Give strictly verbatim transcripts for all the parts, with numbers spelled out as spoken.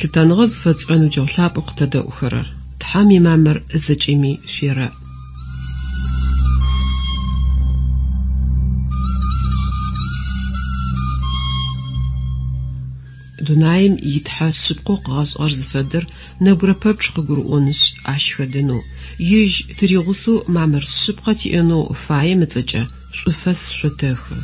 Лъытэныгъэ зыфэтшӏырэ ныбджэгъу лъапӏэу къытэдэӏухэрэр, Тхьэм имамыр зэкӏэми шъуерэӏ. Дунаим итхьэ шъыпкъэу къыгъэшӏыгъэр зыфэдэр нэбгырэ пэпчъ къыгурыӏонышъ, ащ хэдэнэу, ежь тыригъусэу мамыр шъыпкъэ тиӏэнэу фаем ыцӏэкӏэ шӏуфэс шъотэхы.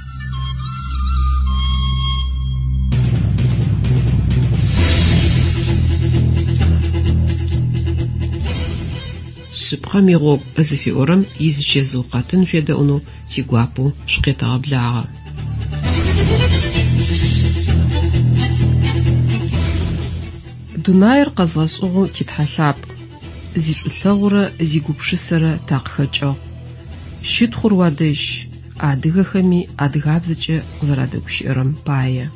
Шъыпкъэм игъогу зыфиӏорэм изычэзыу къэтын шъуедэӏунэу тигуапэу шъукъетэгъэблагъэ. Дунаир къэзгъэшӏыгъэу титхьэ лъапӏ, зишӏулъэгъурэ зигупшысэрэ такъыхэкӏыгъ. Щытхъур уадэжь, адыгэхэми адыгабзэкӏэ къызэрадэгущыӏэрэм пае.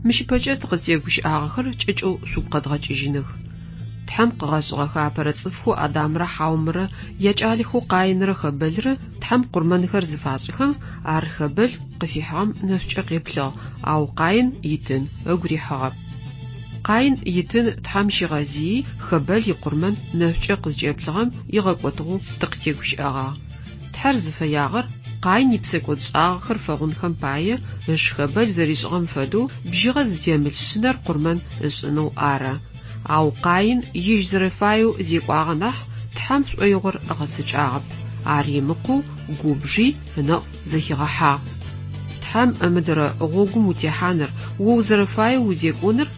Мыщ ыпэкӏэ тыкъызтегущыӏагъэхэр кӏэкӏэу шъугу къэдгъэкӏыжьыных. Тхьэм къыгъэшӏыгъэхэ апэрэ цӏыфхэу Адамрэ Хьаумрэ якӏалэхэу Къаинрэ Хэбэлрэ Тхьэм къурмэнхэр зыфашӏыхэм, ар Хэбэл къыфихьыгъэм нэшӏукӏэ къеплъыгъ, ау Къаин итын ыгу рихьыгъэп. Къаин итын Тхьэм щигъэзыий Хэбэл икъурмэн нэшӏукӏэ къызкӏеплъыгъэм игъэкӏотыгъэу тыкъытегущыӏэгъагъ. Тхьэр зыфэягъэр Къаин ипсэкӏодшӏагъэхэр фэгъунхэм пае ыш Хэбэл зэришӏыгъэм фэдэу бжьыгъэ зытемылъ шъынэр къурмэн ышӏынэу ары. Ау Къаин ежь зэрэфаеу зекӏуагъэ нахь Тхьэм шӏоигъор ыгъэцэкӏагъэп. Ар имыкъоу губжи ынэӏу зэхигъэхьагъ. Тхьэм ымыдэрэ гъогум утехьаныр, о узэрэфаеу узекӏоныр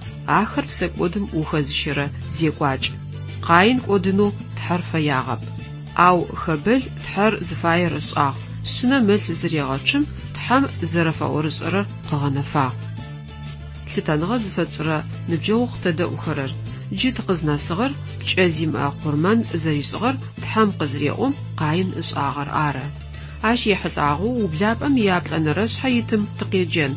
ахэр псэкӏодым ухэзыщэрэ зекӏуакӏ. Къаин кӏодынэу Тхьэр фэягъэп. Ау Хэбэл Тхьэр зыфаер ышӏагъ, шъынэм ылъ зырегъэчъым Тхьэм зэрэфэӏорышӏэрэр къыгъэнэфагъ. Лъытэныгъэ зыфэтшӏырэ ныбджэгъу къытэдэӏухэрэр, джы тыкъызнэсыгъэр пкӏэ зимыӏэ къурмэн зэришӏыгъэр Тхьэм къызыреӏом Къаин ышӏагъэр ары. Ащ ехьылӏагъэу ублапӏэм иаплӏэнэрэ шъхьэ итым тыкъеджэн.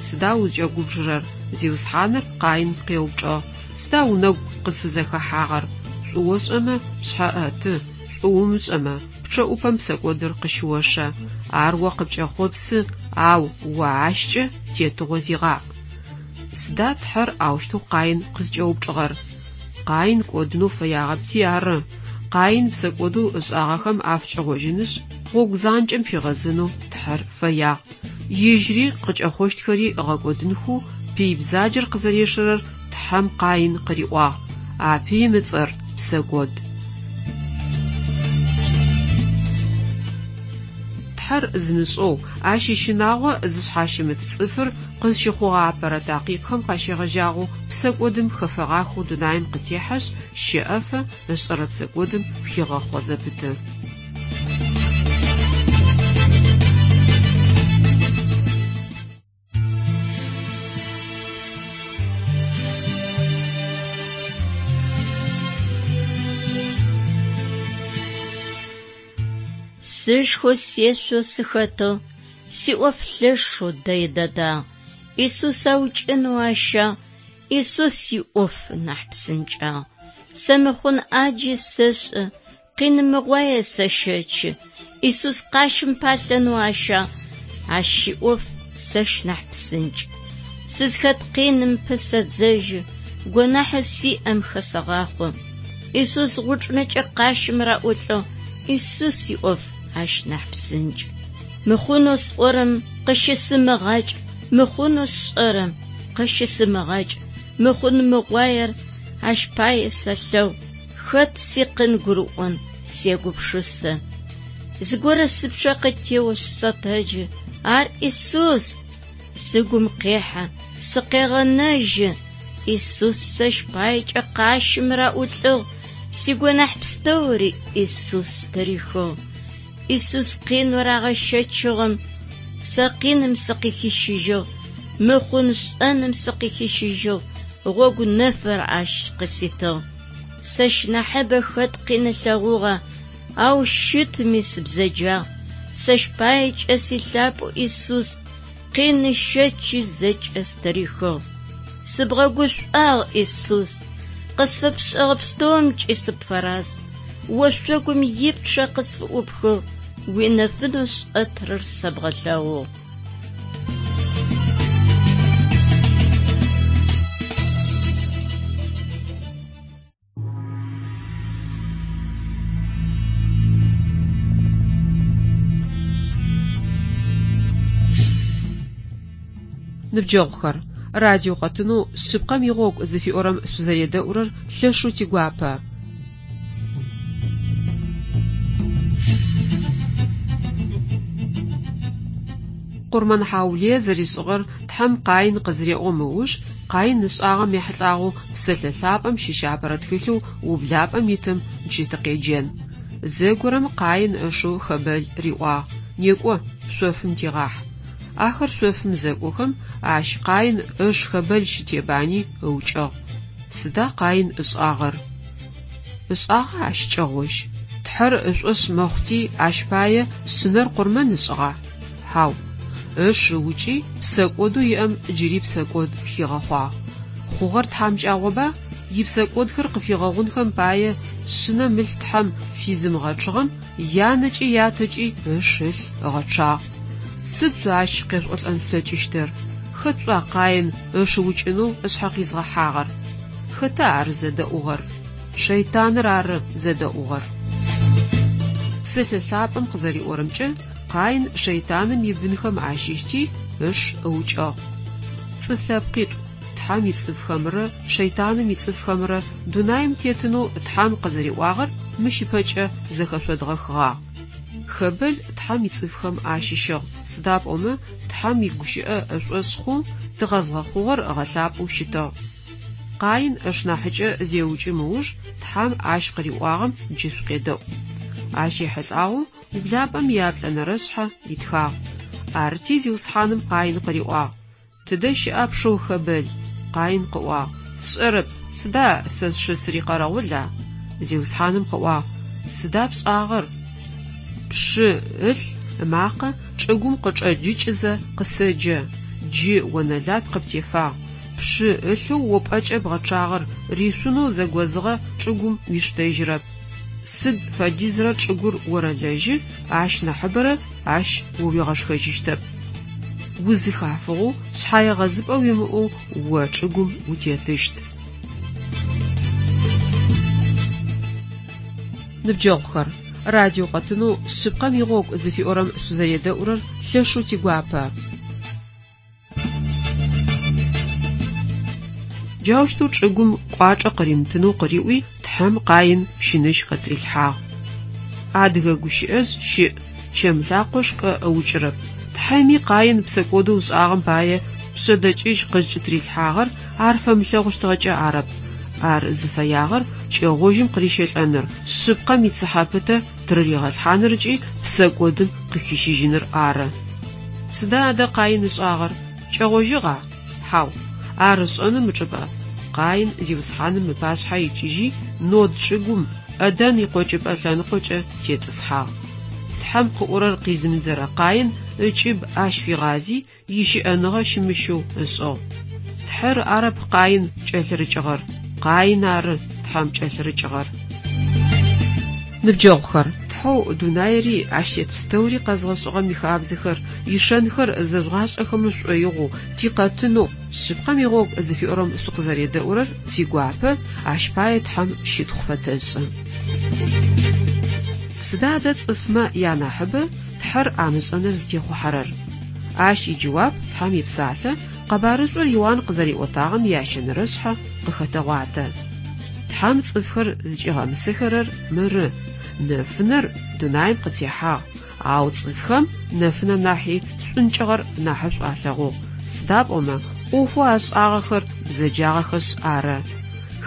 Сыда узкӏэгубжырэр? Зиусхьаныр Къаин къеупчӏыгъ. Сыда унэгу къызфызэхэхьагъэр? Шӏу ошӏэмэ, пшъхьэ ӏэты, шӏу умышӏэмэ, пчъэӏупэм псэкӏодыр къыщыошэ. Ар о къыпкӏэхъопсы, ау о ащкӏэ тетыгъо зигъаӏ. Сыда Тхьэр аущтэу Къаин къызкӏэупчӏыгъэр? Къаин кӏодынэу фэягъэпти ары. Къаин псэкӏодэу ышӏагъэхэм афыкӏэгъожьынышъ, гъогу занкӏэм фигъэзэнэу Тхьэр фэягъ. Ежьыри къыкӏэхъощтхэри ыгъэкӏодынхэу пый бзаджэр къызэрешэрэр Тхьэм Къаин къыриӏуагъ. А пыим ыцӏэр псэкӏод. Тхьэр зымышӏэу, ащ ищынагъо зышъхьащымыт цӏыфыр къызщыхъугъэ апэрэ такъикъхэм къащегъэжьагъэу псэкӏодым хэфэгъахэу дунаим къытехьэшъ, щэӏэфэ ышӏэрэ псэкӏодым хигъэхъо зэпыты. Сышхэу сешъоу сыхэтыгъ, сиӏоф лъэшэу дэй дэдагъ. Исус аукӏынэу ащагъ, Исус иӏоф нахь псынкӏагъ. Сэ мыхъун ӏаджи сэшӏэ, къинымыгъуае сэщэчы. Исус къащым палъэнэу ащагъ, ащ иӏоф сэщ нахь псынкӏ. Сызхэт къиным пысэдзэжьы, гонахьэу сиӏэм хэсэгъахъо. Исус гъучӏынэкӏэ къащым раӏулӏыгъ, Исус иӏоф ащ нахь псынкӏ. Мыхъунэу сӏорэм къыщысымыгъакӏ, мыхъунэу сшӏэрэм къыщысымыгъакӏ, мыхъун мыгъуаер ащ пае сэлъэгъу, хэт сикъин гурыӏон сегупшысэ. Зыгорэ сыпчъэ къытеошъ сэтэджы, ар Исус! Сыгум къехьэ, сыкъегъэнэжьы. Исус сэщ паекӏэ къащым раӏулӏыгъ, сигонахь пстэури Исус тырихыгъ. Исус къинэу рагъэщэчыгъэм Сэ къиным сыкъыхищыжьыгъ, мыхъун шӏэным сыкъыхищыжьыгъ, гъогу нэфыр ащ къыситыгъ. Сэщ нахьыбэ хэт къин ылъэгъугъа, ау щытми сыбзэджагъ. Сэщ паекӏэ силъапӏэу Исус къин ыщэчи зэкӏэ стырихыгъ. Сыбгъэгушӏуагъ, Исус, къысфэпшӏэгъэ пстэумкӏи сыпфэраз. Ошъогум ипчъэ къысфыӏупхыгъ, уинэфынэу шӏэтырэр сэбгъэлъэгъугъ. Ныбджэгъухэр, радио къэтынэу шъыпкъэм игъогу зыфиӏорэм шъузэредэӏурэр лъэшэу тигуапэ. Къурмэн хьаулые зэришӏыгъэр Тхьэм Къаин къызыреӏом ыуж, Къаин ышӏагъэм ехьылӏагъэу Псэлъэ Лъапӏэм щыщ апэрэ тхылъэу ублапӏэм итым джы тыкъеджэн. Зэгорэм Къаин ышэу Хэбэл риӏуагъ: «Некӏо, шъофым тигъахь». Ахэр шъофым зэкӏохэм, ащ Къаин ыш Хэбэл щытебани ыукӏыгъ. Сыда Къаин ышӏагъэр? Ышӏагъа ащ кӏэгъожь? Тхьэр ышӏошъ мэхъути ащ пае шъынэр къурмэн ышӏыгъа? Хьау. Ыш ыукӏи псэкӏодэу иӏэм джыри псэкӏод хигъэхъуагъ. Хъугъэр тхьамыкӏагъоба? Ипсэкӏодхэр къыфигъэгъунхэм пае шъынэм ылъ Тхьэм физымыгъэчъыгъэм янэкӏи ятэкӏи ыш ылъ ыгъэчъагъ. Сыд шъо ащ къешӏолӏэн шъулъэкӏыщтыр? Хэт шӏуа Къаин ыш ыукӏынэу ышъхьэ къизгъэхьагъэр? Хэта ар зэдэӏугъэр? Шэйтаныр ары зэдэӏугъэр. Псэлъэ Лъапӏэм къызэриӏорэмкӏэ, Къаин шэйтаным ибынхэм ащыщти ыш ыукӏыгъ. Цӏыф лъэпкъитӏу, Тхьэм ицӏыфхэмрэ шэйтаным ицӏыфхэмрэ дунаим тетынэу Тхьэм къызэриӏуагъэр мыщ ыпэкӏэ зэхэшъодгъэхыгъагъ. Хэбэл Тхьэм ицӏыфхэм ащыщыгъ, сыда пӏомэ Тхьэм игущыӏэ ышӏошъ хъоу тыгъэзгъэхъугъэр ыгъэлъапӏэу щытыгъ. Къаин ышнахьыкӏэ зеукӏым ыуж Тхьэм ащ къыриӏуагъэм джы шъукъедэӏу. Ащ ехьылӏагъэу ублапӏэм яплӏэнэрэшъхьэ итхагъ. Арти Зиусхьаным Къаин къыриӏуагъ: «Тыдэ щыӏа пшэу Хэбэл?» Къаин къыӏуагъ: «Сшӏэрэп, сыда сэ сшы сырикъэрэгъула?» Зиусхьаным къыӏуагъ: «Сыда пшӏагъэр? Пшы ылъ ымакъэ чӏыгум къычӏэджыкӏызэ къысэджэ. Джы онэлат къыптефагъ. Пшы ылъэу о пӏэкӏэ бгъэчъагъэр ришъунэу зэгозыгъэ чӏыгум уиштэжьырэп. Сыд фэдизрэ чӏыгур орэлэжьы, ащ нахьыбэрэ ащ о уигъэшхэжьыщтэп. Узыхафыгъэу, шъхьаегъэзыпӏэ уимыӏэу о чӏыгум утетыщт». Ныбджэгъухэр, радио къэтынэу шъыпкъэм игъогу зыфиӏорэм шъузэредэӏурэр лъэшэу тигуапэ. Джаущтэу чӏыгум кӏуачӏэ къыримытынэу къыриӏуи, Тхьэм Къаин пщыныжь къытрилъхьагъ. Адыгэ гущыӏэжъ щыӏ: чэм лъакъо шкӏэ ыукӏырэп. Тхьэми Къаин псэкӏодэу ышӏагъэм пае пшъэдэкӏыжь къызкӏытрилъхьагъэр ар фэмылъэгъущтыгъэкӏэ арэп. Ар зыфэягъэр кӏэгъожьым къырищэлӏэныр, шъыпкъэм ицыхьэ пытэ тырыригъэлъхьаныр ыкӏи псэкӏодым къыхищыжьыныр ары. Сыда адэ Къаин ышӏагъэр? Кӏэгъожьыгъа? Хьау. Ар ышӏэным ычӏыпӏэ Къаин Зиусхьаным ыпашъхьэ икӏыжьи, Нод чӏыгум Эдэн икъокӏыпӏэ лъэныкъокӏэ тетӏысхьагъ. Тхьэм къыӏорэр къизымыдзэрэ Къаин ыкӏыб ащ фигъази, ищыӏэныгъэ щымыщэу ышӏыгъ. Тхьэр арэп Къаин кӏэлъырыкӏыгъэр, Къаин ары Тхьэм кӏэлъырыкӏыгъэр. Ныбджэгъухэр, Тхьэу дунаири ащ тет пстэури къэзгъэшӏыгъэм ихабзэхэр, ишэнхэр зэжъугъашӏэхэмэ шӏоигъоу, тикъэтынэу, шъыпкъэм игъогу зыфиӏорэм шъукъызэредэӏурэр тигуапэ, ащ пае Тхьэм щытхъу фэтэшӏы. Сыда адэ цӏыфмэ янахьыбэ Тхьэр амышӏэныр зытехъухьэрэр? Ащ иджэуап Тхьэм ипсалъэ къэбарышӏур Иуан къызэриӏотагъэм ящэнэрэшъхьэ къыхэтэгъуатэ. Тхьэм цӏыфхэр зыкӏигъэмысэхэрэр мыры: нэфынэр дунаим къытехьагъ, ау цӏыфхэм нэфынэм нахьи шӏункӏыгъэр нахьышӏу алъэгъугъ, сыда пӏомэ ӏофэу ашӏагъэхэр бзэджагъэхэшъ ары.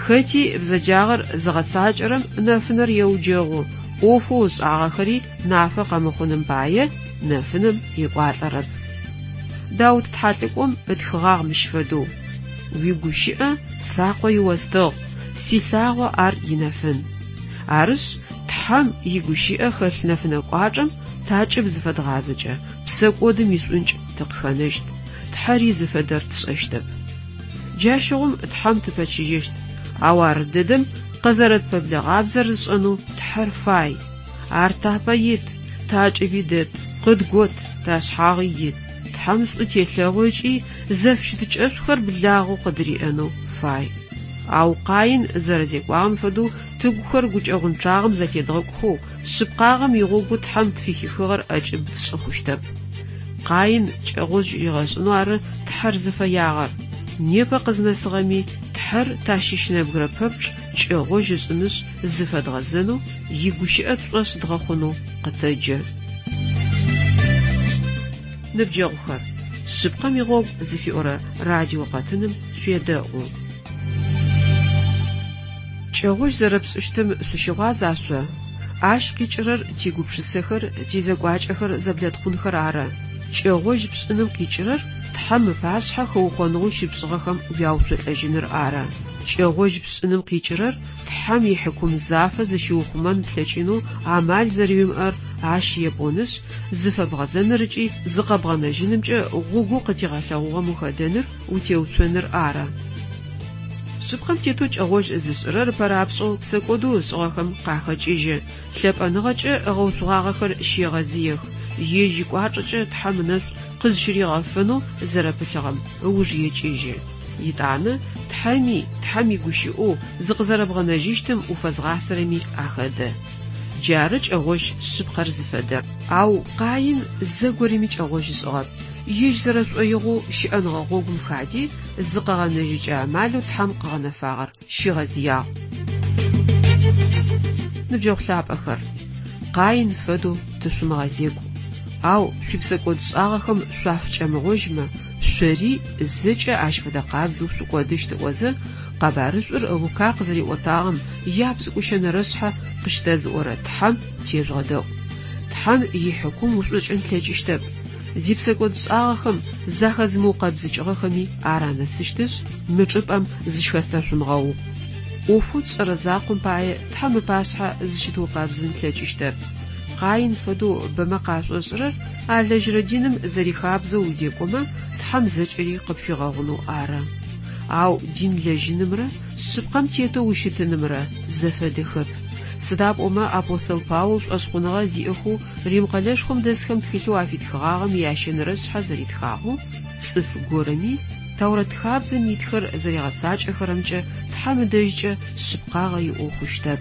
Хэти бзэджагъэр зыгъэцакӏэрэм нэфынэр еуджэгъу, ӏофэу ышӏагъэхэри нафэ къэмыхъуным пае нэфынэм екӏуалӏэрэп. Даут тхьэлӏыкӏом ытхыгъагъ мыщ фэдэу: Уигущыӏэ слъакъо иостыгъ, силъагъо ар инэфын. Арышъ, Тхьэм игущыӏэ хэлъ нэфынэ кӏуачӏэм такӏыб зыфэдгъазэкӏэ, псэкӏодым ишӏункӏ тыкъыхэнэщт, Тхьэри зыфэдэр тшӏэщтэп. Джащыгъум Тхьэм тыпэчыжьэщт, ау ар дэдэм къызэрэтпэблэгъабзэр ышӏэнэу Тхьэр фай. Ар тапэ ит, такӏыби дэт, къыдгот, ташъхьагъи ит. Тхьэм шӏу телъэгъу ыкӏи зэфыщытыкӏэшӏухэр благъэу къыдыриӏэнэу фай. Ау Къаин зэрэзекӏуагъэм фэдэу тыгухэр гукӏэгъунчъагъэм зэлъедгъэкӏухэу, шъыпкъагъэм игъогу Тхьэм тфыхихыгъэр ӏэкӏыб тшӏы хъущтэп. Къаин кӏэгъожь ригъэшӏынэу ары Тхьэр зыфэягъэр. Непэ къызнэсыгъэми Тхьэр тащыщ нэбгырэ пэпчъ кӏэгъожь ышӏынышъ зыфэдгъэзэнэу, игущыӏэ тшӏошъ дгъэхъунэу къытэджэ. Ныбджэгъухэр, шъыпкъэм игъогу зыфиӏорэ радио къэтыным шъуедэӏу. Кӏэгъожь зэрэпшӏыщтым шъущыгъуаза шъо? Ащ къикӏырэр тигупшысэхэр, тизэкӏуакӏэхэр зэблэтхъунхэр ары. Кӏэгъожь пшӏыным къикӏырэр Тхьэм ыпашъхьэ хэукъоныгъэу щыпшӏыгъэхэм уяуцолӏэжьыныр ары. Кӏэгъожь пшӏыным къикӏырэр Тхьэм ихьыкум зафэ зыщыухъумэн плъэкӏынэу амал зэрэуимыӏэр ащ епӏонышъ, зыфэбгъэзэныр ыкӏи зыкъэбгъэнэжьынымкӏэ гъогоу къытигъэлъэгъугъэм ухэдэныр, утеуцоныр ары. Шъыпкъэм тетэу кӏэгъожь зышӏырэр ыпэрапшӏэу псэкӏодэу ышӏыгъэхэм къахэкӏыжьы, лъэпӏэныгъэкӏэ ыгъэуцугъагъэхэр щегъэзыех, ежь икӏуачӏэкӏэ Тхьэм ынэшӏу къызщыригъэфэнэу зэрэпылъыгъэм ыуж екӏыжьы. Итӏанэ Тхьэми, Тхьэм игущыӏэу зыкъызэрэбгъэнэжьыщтым уфэзгъасэрэми ахэдэ. Джары кӏэгъожь шъыпкъэр зыфэдэр. Ау Къаин зэгорэми кӏэгъожь ышӏыгъэп. Ежь зэрэшӏоигъоу щыӏэныгъэ гъогум хади, зыкъэгъэнэжьыкӏэ амалэу Тхьэм къыгъэнэфагъэр щигъэзыягъ. Ныбджэгъу лъапӏэхэр, Къаин фэдэу тышъумыгъэзекӏу. Ау шъуипсэкӏодшӏагъэхэм шъуафыкӏэмыгъожьмэ, шъори зэкӏэ ащ фэдэ къабзэу шъукӏодыщт ыӏозэ, къэбарышӏур Лука къызэриӏотагъэм япшӏыкӏущэнэрэшъхьэ къыщытэзыӏорэ Тхьэм тежъугъэдэӏу. Тхьэм ихьыкум ушӏокӏын плъэкӏыщтэп. Зипсэкӏодшӏагъэхэм захэзымыукъэбзыкӏыгъэхэми ар анэсыщтышъ, мы чӏыпӏэм зыщыхэтэшъумыгъэукъу. ӏофэу тшӏэрэ закъом пае Тхьэм ыпашъхьэ зыщытыукъэбзын тлъэкӏыщтэп. Къаин фэдэу бэмэ къашӏошӏырэр алэжьырэ диным зэрихабзэу узекӏомэ, Тхьэм зэкӏэри къыпфигъэгъунэу ары. Ау дин лэжьынымрэ шъыпкъэм тетэу ущытынымрэ зэфэдэхэп. Сыда пӏомэ апостол Паул шӏошъхъуныгъэ зиӏэхэу Рим къэлэшхом дэсхэм тхылъэу афитхыгъагъэм ящэнэрэшъхьэ зэритхагъэу, цӏыф горэми Тэурэт хабзэм итхэр зэригъэцакӏэхэрэмкӏэ Тхьэм ыдэжькӏэ шъыпкъагъэ иӏэу хъущтэп.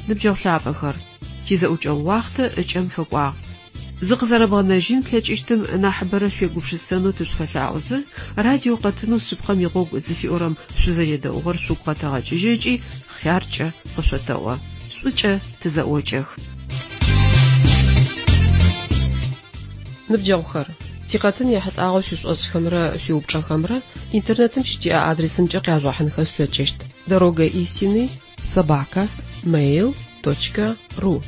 Ныбджэгъу лъапӏэхэр, тизэӏукӏэгъу уахътэ ыкӏэм фэкӏуагъ. Зыкъызэрэбгъэнэжьын плъэкӏыщтым нахьыбэрэ шъуегупшысэнэу тышъуфэлъаӏозэ, радио къэтынэу шъыпкъэм игъогу зыфиӏорэм шъузэредэӏугъэр шъугу къэтэгъэкӏыжьы ыкӏи хъяркӏэ къышъотэӏо. Шӏукӏэ тызэӏокӏэх. Ныбджэгъухэр, тикъэтын ехьылӏагъэу шъуишӏошӏхэмрэ шъуиупчӏэхэмрэ интернетым щытиӏэ адресымкӏэ къяжъугъэхьынхэ шъулъэкӏыщт: Дорога истины собака mail точка ру.